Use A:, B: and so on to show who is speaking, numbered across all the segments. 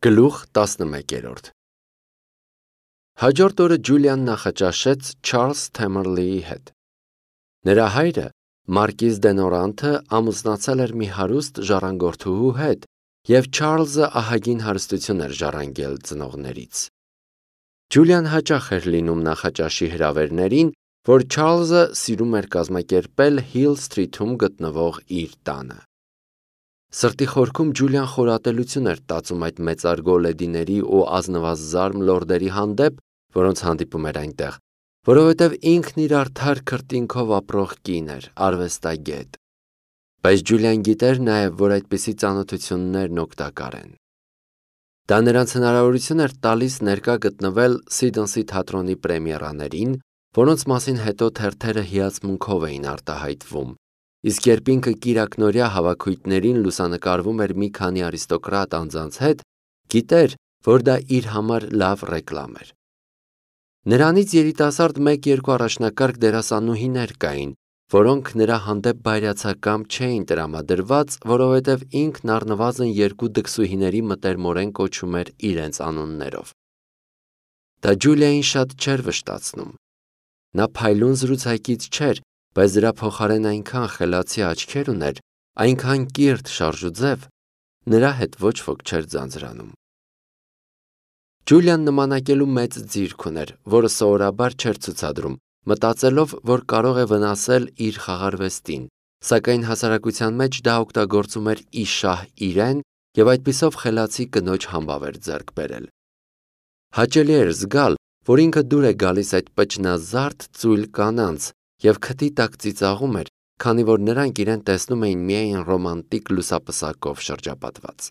A: Գլուխ 11 Հաջորդ օրը Ջուլիան նախաճաշեց Չարլզ Թեմերլիի հետ։ Նրա հայրը, Մարկիզ Դենորանթը, ամուսնացել էր մի հարուստ ժառանգորդուհու հետ, և Չարլզը ահագին հարստություն էր ժառանգել ծնողներից։ Ջուլիան հաճախ էր լինում նախաճաշի հրավերներին, որ Չարլզը սիրում էր կազմակերպել Հիլ Սթրիթում գտնվող իր տանը։ Սրտի խորքում Ջուլիան խորատելություն էր տածում այդ մեծարգո լեդիների ու ազնվազարմ լորդերի հանդեպ, որոնց հանդիպում էր այնտեղ, որովհետև ինքն իր արդար քրտինքով ապրող կին էր, արվեստագետ։ Բայց Ջուլիան գիտեր նաև, որ այդպիսի ծանոթություններն օգտակար են։ Դա նրանց հնարավորություն էր տալիս ներկա գտնվել Սիդնսի թատրոնի պրեմիերաներին, որոնց մասին հետո թերթերը հիացմունքով էին արտահայտվում, իսկ երբ ինքը կիրակնօրյա հավաքույթներին լուսանկարվում էր մի քանի արիստոկրատ անձանց հետ, գիտեր, որ դա իր համար լավ ռեկլամ էր։ Նրանից երիտասարդ 1-2 առաջնակարգ դերասանուհիներ կային, որոնք նրա հանդեպ բայրացակամ չէին տրամադրված, որովհետև ինքն առնվազն 2 դքսուհիների մտերմորեն կոչում էր իրենց անուններով։ Դա Ջուլիային շատ չէր վշտացնում։ Նա փայլուն զրուցակից չէր, բայց դրա փոխարեն այնքան խելացի աչքեր ուներ, այնքան կիրթ շարժուձև, նրա հետ ոչ ոք չէր ձանձրանում։ Ջուլիան նմանակելու մեծ ձիրք ուներ, որը սովորաբար չէր ցուցադրում, մտածելով, որ կարող է վնասել իր խաղարվեստին, սակայն հասարակության մեջ դա օգտագործում էր ի շահ իրեն և այդպիսով խելացի կնոջ համբավ էր ձեռք բերել։ Հաճելի էր զգալ, որ ինքը դուր է գալիս այդ պճնազարդ ծույլ կանանց և քթի տակ ծիծաղում էր, քանի որ նրանք իրեն տեսնում էին միայն ռոմանտիկ լուսապսակով շրջապատված։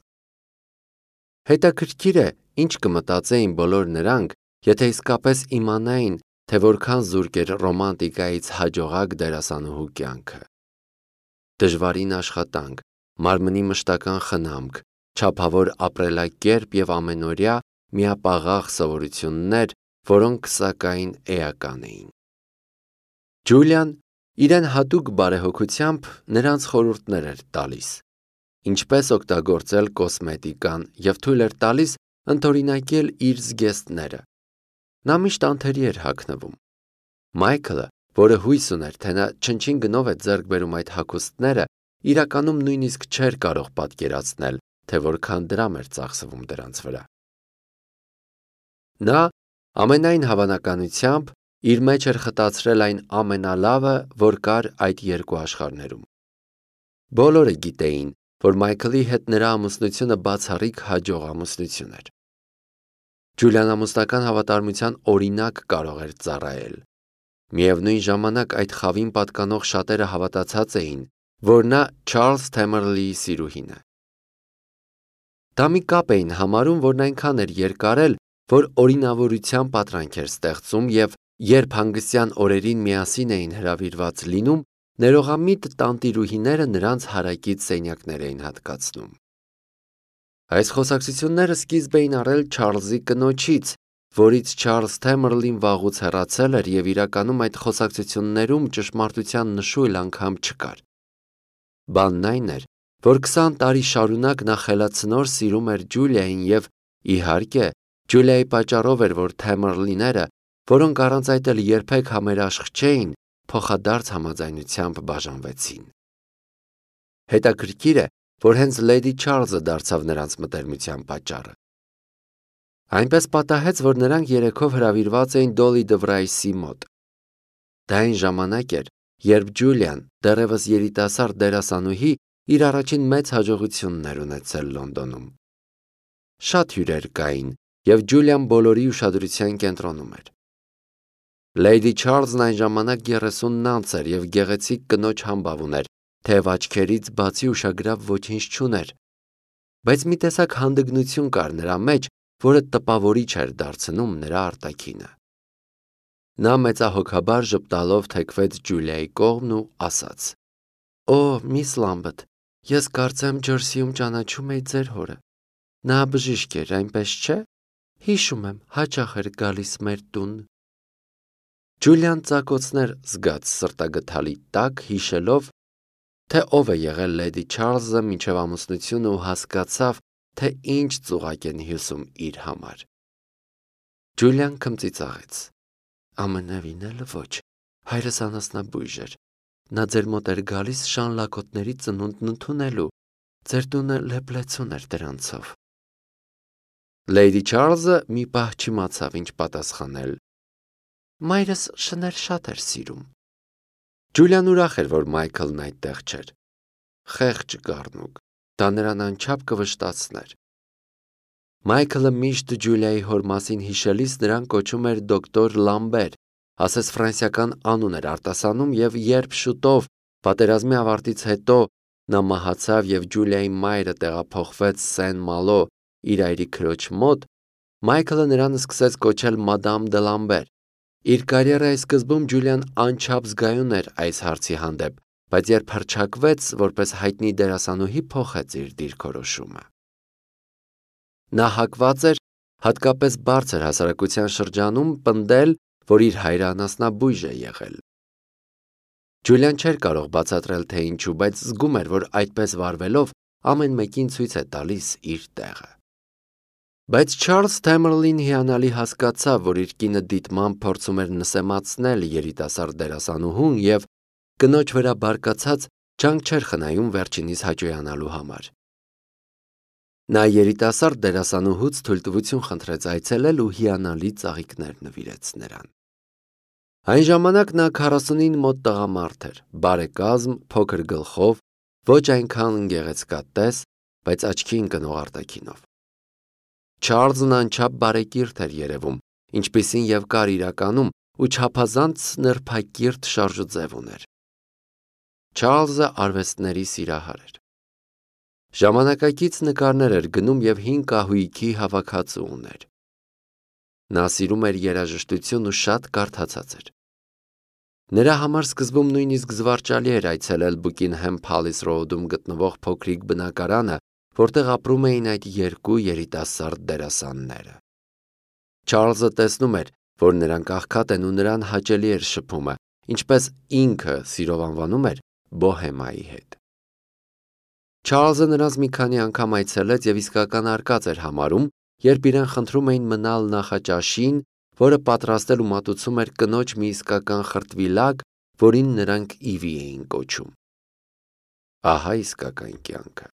A: Հետաքրքիր է, ինչ կմտածեին բոլոր նրանք, եթե իսկապես իմանային, թե որքան զուրկ էր ռոմանտիկայից հաջողակ դերասանուհու կյանքը։ Դժվարին աշխատանք, մարմնի մշտական խնամք, չափավոր ապրելակերպ և ամենօրյա միապաղաղ սովորություններ, որոնք սակայն էական էին։ Ջուլիան իրեն հատուկ բարեհոգությամբ նրանց խորհուրդներ էր տալիս, ինչպես օգտագործել կոսմետիկան և թույլ էր տալիս ընդօրինակել իր զգեստները։ Նա միշտ անթերի էր հագնվում։ Մայքլը, որը հույս ուներ, թե նա չնչին գնով է ձեռք բերում այդ հագուստները, իրականում նույնիսկ չէր կարող պատկերացնել, թե որքան դրամ էր ծախսվում դրանց վրա։ Նա, ամենայն հավանականությամբ, իր մեջ էր խտացրել այն ամենալավը, որ կար այդ երկու աշխարհներում։ Բոլորը գիտեին, որ Մայքլի հետ նրա ամուսնությունը բացառիկ հաջող ամուսնություն էր։ Ջուլիան ամուսնական հավատարմության օրինակ կարող էր ծառայել։ Միևնույն ժամանակ այդ խավին պատկանող շատերը հավատացած էին, որ նա Չարլզ Թեմերլիի սիրուհին է։ Դա մի կապ էին համարում, որն այնքան էր երկարել, որ օրինավորության պատրանք էր ստեղծում և երբ հանգստյան օրերին միասին էին հրավիրված լինում, ներողամիտ տանտիրուհիները նրանց հարակից սենյակներ էին հատկացնում։ Այս խոսակցությունները սկիզբ էին առել Չարլզի կնոջից, որից Չարլզ Թեմերլին վաղուց հեռացել էր և իրականում այդ խոսակցություններում ճշմարտության նշույլ անգամ չկար։ Բանն այն էր, որ 20 տարի շարունակ նա խելացնոր սիրում էր Ջուլիային և, իհարկե, Ջուլիայի պատճառով էր, որ Թեմերլիները, որոնք առանց այդ էլ երբեք համերաշխ չէին, փոխադարձ համաձայնությամբ բաժանվեցին։ Հետաքրքիր է, որ հենց Լեդի Չարլզը դարձավ նրանց մտերմության պատճառը։ Այնպես պատահեց, որ նրանք երեքով հրավիրված էին Դոլի Դվրայսի մոտ։ Դա այն ժամանակ էր, երբ Ջուլիան, դեռևս երիտասարդ դերասանուհի, իր առաջին մեծ հաջողությունն էր ունեցել Լոնդոնում։ Շատ հյուրեր կային, և Ջուլիան բոլորի ուշադրության կենտրոնում էր։ Լեյդի Չարլզն այն ժամանակ 39 էր և գեղեցիկ կնոջ համբավ ուներ, թեև աչքերից բացի ուշագրավ ոչինչ չուներ, բայց մի տեսակ հանդգնություն կար նրա մեջ, որը տպավորիչ էր դարձնում նրա արտաքինը։ Նա մեծահոգաբար ժպտալով թեքվեց Ջուլիայի կողմն ու ասաց. «Օ, միս Լամբեթ, ես կարծեմ Ջերսիում ճանաչում էի ձեր հորը։ Նա բժիշկ էր, այնպես չէ՞։ Հիշում եմ, հաճախ էր գալիս մեր տուն»։ Ջուլիան ծակոցներ զգաց սրտագդալի տակ, հիշելով, թե ով է եղել Լեդի Չարլզը մինչև ամուսնությունը ու հասկացավ, թե ինչ ծուղակ են հյուսում իր համար։ Ջուլիան քմծիծաղեց։ Ամենևին էլ ոչ, հայրս անասնաբույժ էր։ Նա ձեր մոտ էր գալիս շան լակոտների ծնունդն ընդունելու, ձեր տունը լեփլեցուն էր դրանցով։ Լեյդի Չարլզը մի պահ չիմացավ ինչ պատասխանել։ Մայրս շներ շատ էր սիրում։ Ջուլիան ուրախ էր, որ Մայքլն այդտեղ չէր։ Խեղճ գառնուկ, դա նրան անչափ կվշտացներ։ Մայքլը միշտ Ջուլիայի հոր մասին հիշելիս նրան կոչում էր դոկտոր Լամբեր, ասես ֆրանսիական անուն էր արտասանում, եւ երբ շուտով պատերազմի ավարտից հետո նա մահացավ եւ Ջուլիայի մայրը տեղափոխվեց Սեն-Մալո իր այրի քրոջ մոտ, Մայքլը նրան սկսեց կոչել Մադամ դե Լամբեր։ Իր կարիերայի սկզբում Ջուլիան անչափ զգայուն էր այս հարցի հանդեպ, բայց երբ հռչակվեց որպես հայտնի դերասանուհի, փոխեց իր դիրքորոշումը։ Նա հակված էր հատկապես բարձր հասարակության շրջանում պնդել, որ իր հայրը անասնաբույժ է եղել։ Ջուլիան չէր կարող բացատրել, թե ինչու, բայց զգում էր, որ այդպես վարվելով ամեն մեկին ցույց է տալիս իր տեղը։ Բայց Չարլզ Թեմերլին հիանալի հասկացավ, որ իր կինը դիտմամբ փորձում էր նսեմացնել երիտասարդ դերասանուհուն եւ կնոջ վրա բարկացած ջանք չէր խնայում վերջինիս հաճոյանալու համար։ Նա երիտասարդ դերասանուհուց թույլտվություն խնդրեց այցելել ու հիանալի ծաղիկներ նվիրեց նրան։ Այն ժամանակ նա 40-ին մոտ տղամարդ էր, բարեկազմ, փոքր գլխով, ոչ այնքան գեղեցկատես, բայց աչքի ընկնող արտաքինով։ Չարլզն անչափ բարեկիրթ էր երևում, ինչպիսին եւ կար իրականում, ու չափազանց նրբակիրթ շարժուձև ուներ։ Չարլզը արվեստների սիրահար էր։ Ժամանակակից նկարներ էր գնում եւ հին կահույքի հավաքածու ուներ։ Նա սիրում էր երաժշտություն ու շատ կարդացած էր։ Նրա համար սկզբում նույնիսկ զվարճալի էր այցելել Բուկինհեմ Փալիս Ռոուդում գտնվող փոքրիկ բնակարանը, որտեղ ապրում էին այդ երկու երիտասարդ դերասանները։ Չարլզը տեսնում էր, որ նրանք աղքատ են ու նրան հաճելի էր շփումը, ինչպես ինքը սիրով անվանում էր բոհեմայի հետ։ Չարլզը նրանց մի քանի անգամ այցելեց եւ իսկական արկած էր համարում, երբ իրեն խնդրում էին մնալ նախաճաշին, որը պատրաստել ու մատուցում էր կնոջ մի իսկական խրտվիլակ, որին նրանք Իվի էին կոչում։ Ահա իսկական կյանքը։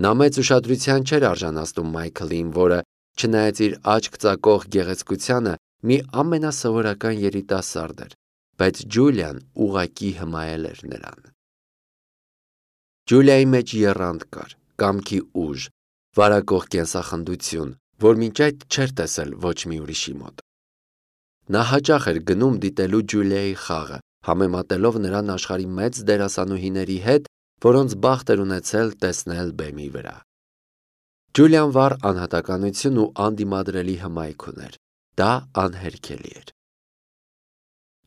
A: Նա մեծ ուշադրության չէր արժանացնում Մայքլին, որը, չնայած իր աչք ծակող գեղեցկությանը, մի ամենասովորական երիտասարդ էր, բայց Ջուլիան ուղղակի հմայել էր նրան։ Ջուլիայի մեջ եռանդ կար, կամքի ուժ, վարակող կենսախնդություն, որ մինչ այդ չէր տեսել ոչ մի ուրիշի մոտ։ Նա հաճախ էր գնում դիտելու Ջուլիայի խաղը, համեմատելով նրան աշխարհի մեծ դերասանուհիների հետ, որոնց բախտ էր ունեցել տեսնել բեմի վրա։ Ջուլիան վառ անհատականություն ու անդիմադրելի հմայք ուներ, դա անհերքելի էր։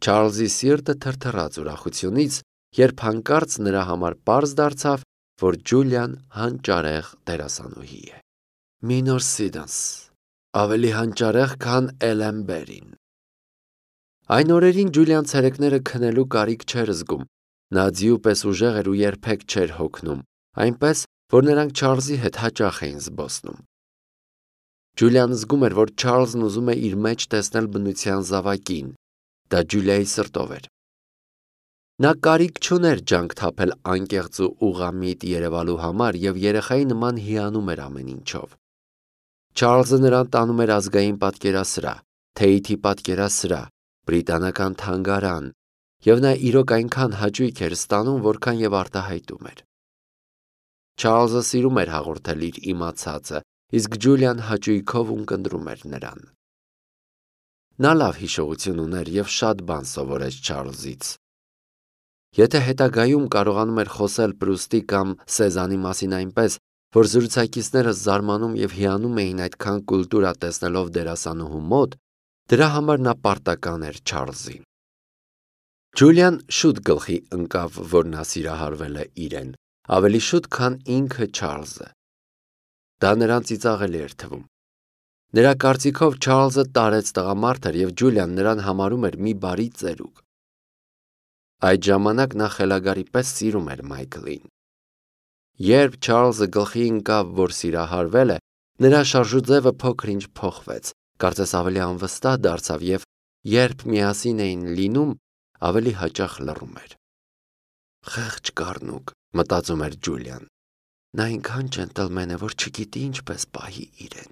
A: Չարլզի սիրտը թրթռաց ուրախությունից, երբ հանկարծ նրա համար պարզ դարձավ, որ Ջուլիան հանճարեղ դերասանուհի է։ Մինոր Սիդանս, ավելի հանճարեղ, քան Էլեն Բերին։ Այն օրերին Ջուլիան ցերեկները քնելու կարիք չէր զգում, նա ձիու պես ուժեղ էր ու երբեք չէր հոգնում, այնպես, որ նրանք Չարլզի հետ հաճախ էին զբոսնում։ Ջուլիան զգում էր, որ Չարլզն ուզում է իր մեջ տեսնել բնության զավակին, դա Ջուլիայի սրտով էր։ Նա կարիք չուներ ջանք թափել անկեղծ ու ուղղամիտ երևալու համար եւ երեխայի նման հիանում էր ամեն ինչով։ Չարլզը նրան տանում էր ազգային պատկերասրահ, Թեյթի պատկերասրահ, բրիտանական թանգարան, եւ նա իրոք այնքան հաճույք էր ստանում, որքան եւ արտահայտում էր։ Չարլզը սիրում էր հաղորդել իր իմացածը, իսկ Ջուլիան հաճույքով ունկնդրում էր նրան։ Նա լավ հիշողություն ուներ եւ շատ բան սովորեց Չարլզից։ Եթե հետագայում կարողանում էր խոսել Պրուստի կամ Սեզանի մասին այնպես, որ զրուցակիցները զարմանում եւ հիանում էին այդքան կուլտուրա տեսնելով դերասանուհու մոտ, դրա համար նա պարտական էր Չարլզին։ Ջուլիան շուտ գլխի ընկավ, որ նա սիրահարվել է իրեն, ավելի շուտ, քան ինքը Չարլզը։ Դա նրան ծիծաղելի էր թվում։ Նրա կարծիքով Չարլզը տարեց տղամարդ էր եւ Ջուլիան նրան համարում էր մի բարի ծերուկ։ Այդ ժամանակ նա խելագարի պես սիրում էր Մայքլին։ Երբ Չարլզը գլխի ընկավ, որ սիրահարվել է, նրա շարժուձևը փոքր-ինչ փոխվեց, կարծես ավելի անվստահ դարձավ և երբ միասին էին լինում, ավելի հաճախ լռում էր։ Խեղճ կառնուկ, մտածում էր Ջուլիան։ Նա այնքան ջենտլմեն է, որ չգիտի ինչպես պահի իրեն։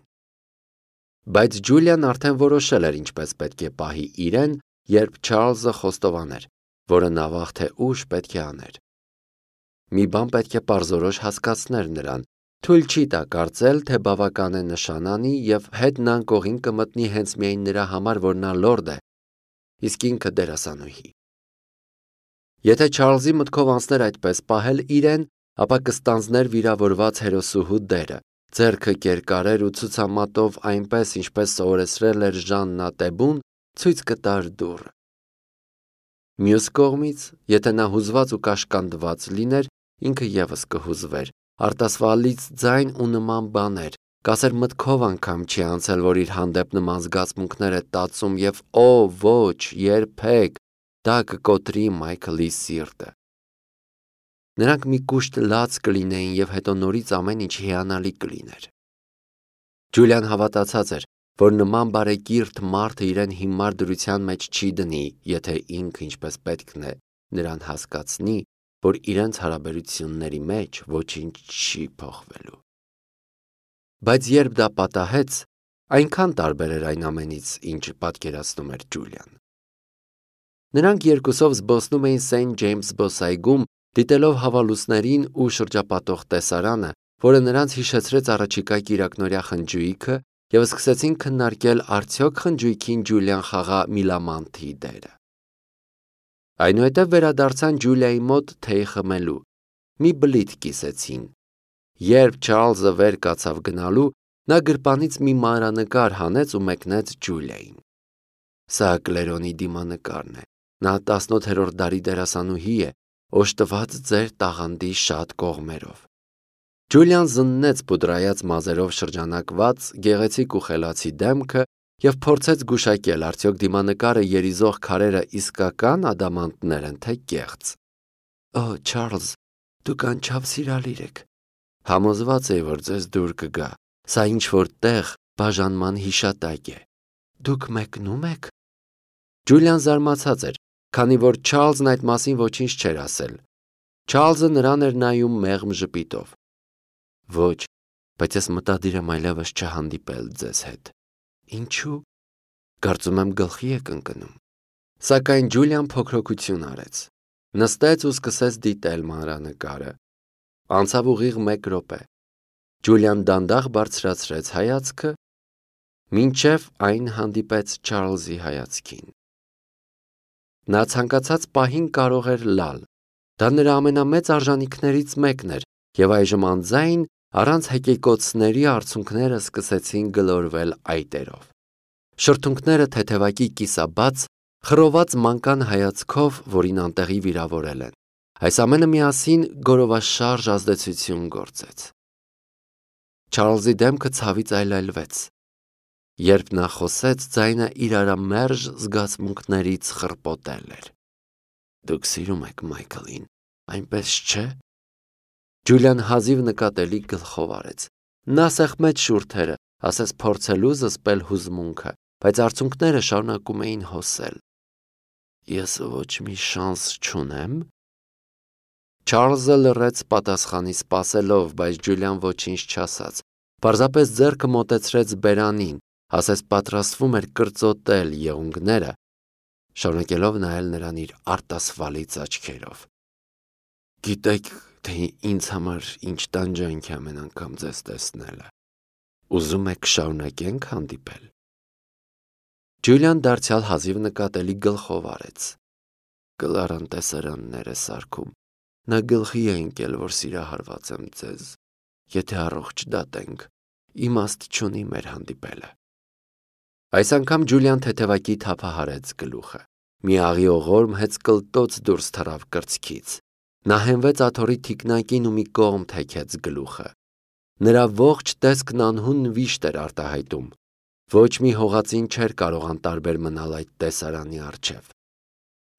A: Բայց Ջուլիան արդեն որոշել էր ինչպես պետք է պահի իրեն, երբ Չարլզը խոստովաներ, որը նավաղ թե ուշ պետք է աներ։ Մի բան պետք է պարզորոշ հասկացներ նրան, թույլ չի տա կարծել, թե բավական է նշան անի և հետն անկողին կմտնի հենց միայն նրա համար, որ նա լորդ է, իսկ ինքը դերասանուհի։ Եթե Չարլզի մտքով անցներ այդպես պահել իրեն, ապա կստանձներ վիրավորված հերոսուհու դերը, ձեռքը կերկարեր ու ցուցամատով այնպես, ինչպես սովորեցրել էր Ժաննա Տեբուն, ցույց կտար դուռը։ Մյուս կողմից, եթե նա հուզված ու կաշկանդված լիներ, ինքը ևս կհուզվեր, արտասվալից ձայն ու նման բաներ, կասեր մտքով անգամ չի անցել, որ իր հանդեպ նման զգացմունքներ է տածում և օ, ոչ, երբեք, դա կկոտրի Մայքլի սիրտը։ Նրանք մի կուշտ լաց կլինեին և հետո նորից ամեն ինչ հիանալի կլիներ։ Ջուլիան հավատացած էր, որ նման բարեկիրթ մարդը իրեն հիմար դրության մեջ չի դնի, եթե ինքը ինչպես պետքն է նրան հասկացնի, որ իրենց հարաբերությունների մեջ ոչինչ չի փոխվելու։ Բայց երբ դա պատահեց, այնքան տարբեր էր այն ամենից, ինչ պատկերացնում էր Ջուլիան։ Նրանք երկուսով զբոսնում էին Սենթ Ջեյմս զբոսայգում, դիտելով հավալուսներին ու շրջապատող տեսարանը, որը նրանց հիշեցրեց առաջիկա կիրակնօրյա խնջույքը և սկսեցին քննարկել արդյոք խնջույքին Ջուլիան խաղա Միլամանթի դերը։ Այնուհետև վերադարձան Ջուլիայի մոտ թեյ խմելու, մի բլիթ կիսեցին։ Երբ Չարլզը վեր կացավ գնալու, նա գրպանից մի մանրանկար հանեց ու մեկնեց Ջուլիային։ Սա Կլերոնի դիմանկարն է։ Նա 18-րդ դարի դերասանուհի է, օժտված ձեր տաղանդի շատ կողմերով։ Ջուլիան զննեց պուդրայած մազերով շրջանակված գեղեցիկ ու խելացի դեմքը և փորձեց գուշակել, արդյոք դիմանկարը երիզող քարերը իսկական ադամանդներ են, թե կեղծ։ Օ, Չարլզ, դուք անչափ սիրալիր եք։ Համոզված էի, որ ձեզ դուր կգա։ Սա ինչ-որ տեղ բաժանման հիշատակ է։ Դուք մեկնում եք։ Ջուլիան զարմացած էր, քանի որ Չարլզն այդ մասին ոչինչ չէր ասել։ Չարլզը նրան էր նայում մեղմ ժպիտով։ Ոչ, բայց ես մտադիր եմ այլևս չհանդիպել ձեզ հետ։ Ինչու՞։ Կարծում եմ գլխի եք ընկնում։ Սակայն Ջուլիան փոքրոքություն արեց։ Նստեց ու սկսեց դիտել մանրանկարը։ Անցավ ուղիղ 1 րոպե։ Ջուլիան դանդաղ բարձրացրեց հայացքը, մինչև այն հանդիպեց Չարլզի հայացքին։ Նա ցանկացած պահին կարող էր լալ։ Դա նրա ամենամեծ արժանիքներից մեկն էր, և այժմ անձայն առանց հեկեկոցների արցունքները սկսեցին գլորվել այտերով։ Շրթունքները թեթևակի կիսաբաց, խռոված մանկան հայացքով, որին անտեղի վիրավորել են։ Այս ամենը միասին գորովաշարժ ազդեցություն գործեց։ Չարլզի դեմքը ցավից այլայլվեց։ Երբ նա խոսեց, ձայնը իրարամերժ զգացմունքներից խռպոտել էր։ Դուք սիրում եք Մայքլին, այնպես չէ՞։ Ջուլիան հազիվ նկատելի գլխով արեց։ Նա սեղմեց շուրթերը, ասես փորձելու զսպել հուզմունքը, բայց արցունքները շարունակում էին հոսել։ Ես ոչ մի շանս չունեմ։ Չարլզը լռեց պատասխանի սպասելով, բայց Ջուլիան ոչինչ չասաց։ Պարզապես ձեռքը մոտեցրեց բերանին, ասես պատրաստվում էր կրծոտել եղունգները, շարունակելով նայել նրան իր արտասվալից աչքերով։ Գիտեք, թե ինձ համար ինչ տանջանք է ամեն անգամ ձեզ տեսնելը։ Ուզում եք շարունակենք հանդիպել։ Ջուլիան դարձյալ հազիվ նկատելի գլխով արեց։ Կլարան տեսարաններ է սարքում։ Նա գլխի է ընկել, որ սիրահարված եմ ձեզ։ Եթե առողջ դատենք, իմաստ չունի մեր հանդիպելը։ Այս անգամ Ջուլիան թեթևակի թափահարեց գլուխը։ Մի աղիողորմ հեծկլտոց դուրս թռավ կրծքից։ Նա հենվեց աթոռի թիկնակին ու մի կողմ թեքեց գլուխը։ Նրա ողջ տեսքն անհուն վիշտ էր արտահայտում։ Ոչ մի հողածին չէր կարող անտարբեր մնալ այդ տեսարանի առջև։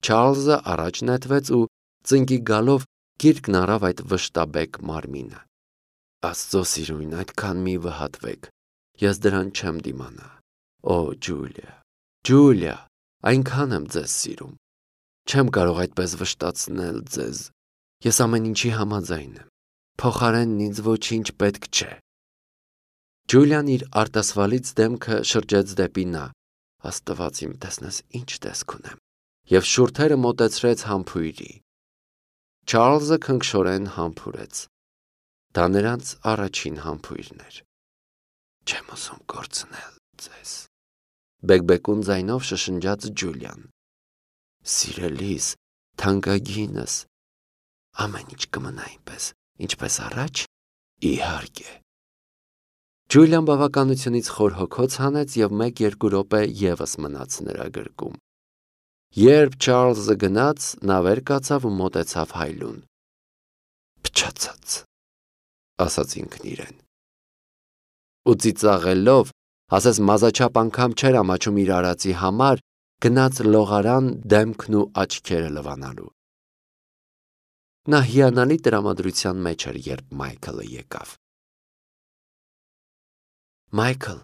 A: Չարլզը առաջ նետվեց ու ծնկի գալով գիրկն առավ այդ վշտաբեկ մարմինը։ Աստծո սիրուն, այդքան մի վհատվեք, ես դրան չեմ դիմանա։ Օ, Ջուլիա, այնքան եմ ձեզ սիրում։ Չեմ կարող այդպես վշտացնել ձեզ։ Ես ամեն ինչի համաձայն եմ։ Փոխարենն ինձ ոչինչ պետք չէ։ Ջուլիան իր արտասվալից դեմքը շրջեց դեպի նա։ Աստված իմ, տեսնես ինչ տեսք ունեմ։ Եվ շուրթերը մոտեցրեց համբույրի։ Չարլզը քնքշորեն համբուրեց։ Դա նրանց առաջին համբույրն էր։ Չեմ ուզում կորցնել ձեզ, բեկբեկուն ձայնով շշնջաց Ջուլիան։ Սիրելիս, թանկագինս, ամեն ինչ կմնա այնպես, ինչպես առաջ, իհարկե։ Ջուլիան բավականությունից խոր հոգոց հանեց և 1-2 րոպե ևս մնաց նրա գրկում։ Երբ Չարլզը գնաց, նա վեր կացավ ու մոտեցավ հայլուն։ Փչացած, ասաց ինքն իրեն։ Ու ծիծաղելով, ասես մազաչափ անգամ չէր ամաչում իր արածի համար, գնաց լողարան դեմքն ու աչքերը լվանալու։ Նա հիանալի տրամադրության մեջ էր, երբ Մայքլը եկավ։ Մայքլ,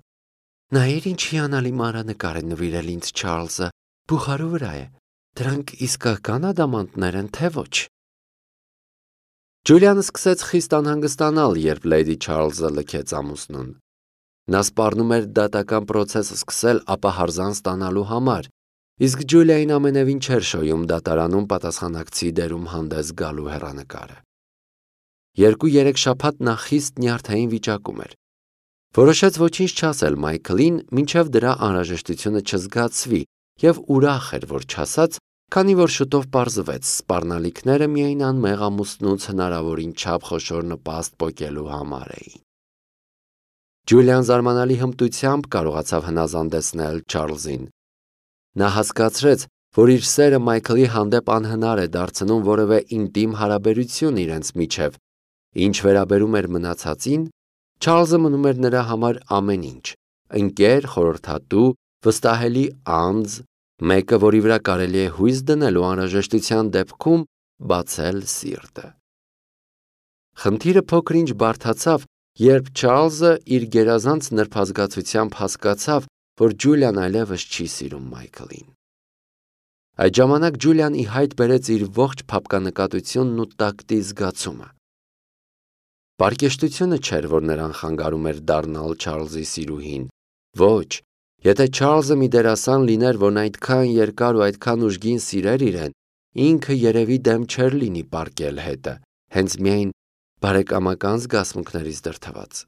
A: նայիր ինչ հիանալի մանրանկար է նվիրել ինձ Չարլզը, բուխարու վրա է։ Դրանք իսկական ադամանդներ են, թե ոչ։ Ջուլիան սկսեց խիստ անհանգստանալ, երբ Լեյդի Չարլզը լքեց ամուսնուն։ Նա սպառնում էր դատական պրոցես սկսել ապահարզան ստանալու համար, իսկ Ջուլիային ամենևին չէր շոյում դատարանում պատասխանատվի դերում հանդես գալու հեռանկարը։ 2-3 շաբաթ նա խիստ նյարդային վիճակում էր։ Որոշեց ոչինչ չասել Մայքլին, մինչև դրա անհրաժեշտությունը չզգացվի, և ուրախ էր, որ չասաց, քանի որ շուտով պարզվեց, սպառնալիքները միայն անմեղ ամուսնուց հնարավորին չափ խոշոր նպաստ պոկելու համար էին։ Ջուլիան զարմանալի հմտությամբ կարողացավ հնազանդեցնել Չարլզին։ Նա հասկացրեց, որ իր սերը Մայքլի հանդեպ անհնար է դարձնում որևէ ինտիմ հարաբերություն իրենց միջև, ինչ վերաբերում էր մնացածին, Չարլզը մնում էր նրա համար ամեն ինչ, ընկեր, խորհրդատու, վստահելի անձ, մեկը, որի վրա կարելի է հույս դնել ու անհրաժեշտության դեպքում բացել սիրտը։ Խնդիրը փոքր-ինչ բարդացավ, երբ Չարլզը իր գերազանց նրբազգացությամբ հասկացավ, որ Ջուլիան այլևս չի սիրում Մայքլին։ Այդ ժամանակ Ջուլիան ի հայտ բերեց իր ողջ փափկանկատությունն ու տակտի զգացումը։ Պարկեշտությունը չէր, որ նրան խանգարում էր դառնալ Չարլզի սիրուհին։ Ոչ, եթե Չարլզը մի դերասան լիներ, որն այդքան երկար ու այդքան ուժգին սիրեր իրեն, ինքը երևի դեմ չէր լինի պառկել հետը, հենց միայն բարեկամական զգացմունքներից դրդված։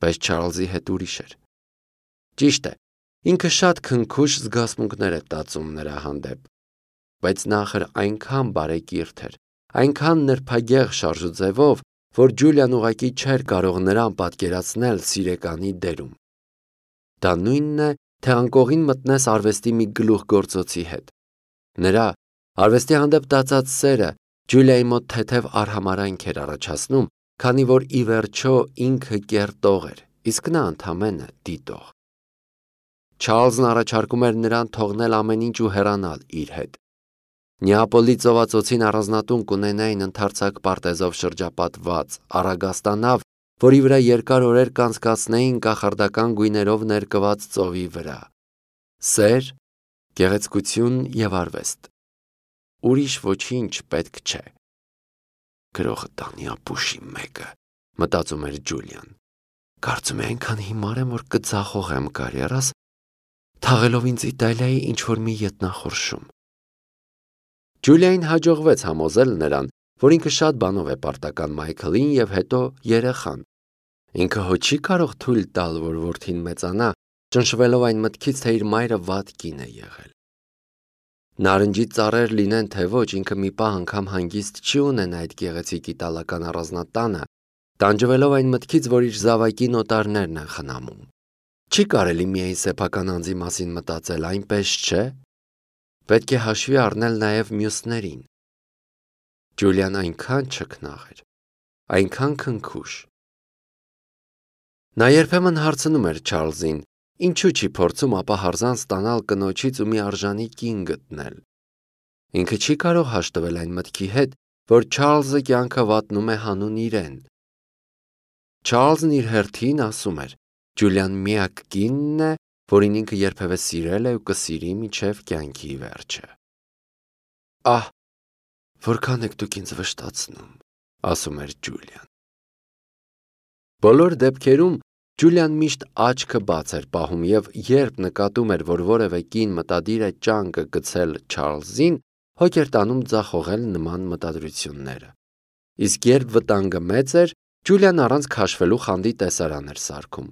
A: Բայց Չարլզի հետ ուրիշ էր։ Ճիշտ է, ինքը շատ քնքուշ զգացմունքներ է տածում նրա հանդեպ, բայց նախր այնքան բարեկիրթ էր, այնքան նրբագեղ շարժուձևով, որ Ջուլիան ուղղակի չէր կարող նրան պատկերացնել սիրեկանի դերում։ Դա նույնն է, թե անկողին մտնես արվեստի մի գլուխգործոցի հետ։ Նրա արվեստի հանդեպ տածած սերը Ջուլիայի մոտ թեթև արհամարհանք էր առաջացնում, քանի որ ի վերջո ինքը կերտող էր, իսկ նա ընդամենը դիտող։ Չարլզն առաջարկում էր նրան թողնել ամեն ինչ ու հեռանալ իր հետ։ Նեապոլի ծովածոցին առանձնատուն կունենային ընդարձակ պարտեզով շրջապատված, առագաստանավ, որի վրա երկար օրեր կանցկացնեին կախարդական գույներով ներկված ծովի վրա։ Սեր, գեղեցկություն և արվեստ։ Ուրիշ ոչինչ պետք չէ։ Գրողը տանի ապուշի մեկը, մտածում էր Ջուլիան։ Կարծում է այնքան հիմար եմ, որ կձախողեմ կարիերաս, թաղելով ինձ Իտալիայի ինչ-որ մի ետնախորշում։ Ջուլիային հաջողվեց համոզել նրան, որ ինքը շատ բանով է պարտական Մայքլին և հետո երեխան։ Ինքը հո չի կարող թույլ տալ, որ որդին մեծանա, ճնշվելով այն մտքից, թե իր մայրը վատ կին է եղել։ Նարնջի ծառեր լինեն, թե ոչ, ինքը մի պահ անգամ հանգիստ չի ունենա այդ գեղեցիկ իտալական առանձնատանը, տանջվելով այն մտքից, որ իր զավակի նոտարներն են խնամում։ Չի կարելի միայն սեփական անձի մասին մտածել, այնպես չէ։ Պետք է հաշվի առնել նաև մյուսներին։ Ջուլիան այնքան չքնաղ էր, այնքան քնքուշ։ Նա երբեմն հարցնում էր Չարլզին, ինչու չի փորձում ապահարզան ստանալ կնոջից ու մի արժանի կին գտնել։ Ինքը չի կարող հաշտվել այն մտքի հետ, որ Չարլզը կյանքը վատնում է հանուն իրեն։ Չարլզն իր հերթին ասում էր. Ջուլիան միակ կինն է, որին ինքը երբևէ սիրել է ու կսիրի մինչև կյանքի վերջը։ Ահ, որքան եք դուք ինձ վշտացնում, ասում էր Ջուլիան։ Բոլոր դեպքերում Ջուլիան միշտ աչքը բաց էր պահում և երբ նկատում էր, որ որևէ կին մտադիր է ճանկը գցել Չարլզին, հոգ էր տանում ձախողել նման մտադրությունները։ Իսկ երբ վտանգը մեծ էր, Ջուլիան առանց քաշվելու խանդի տեսարան էր սարքում։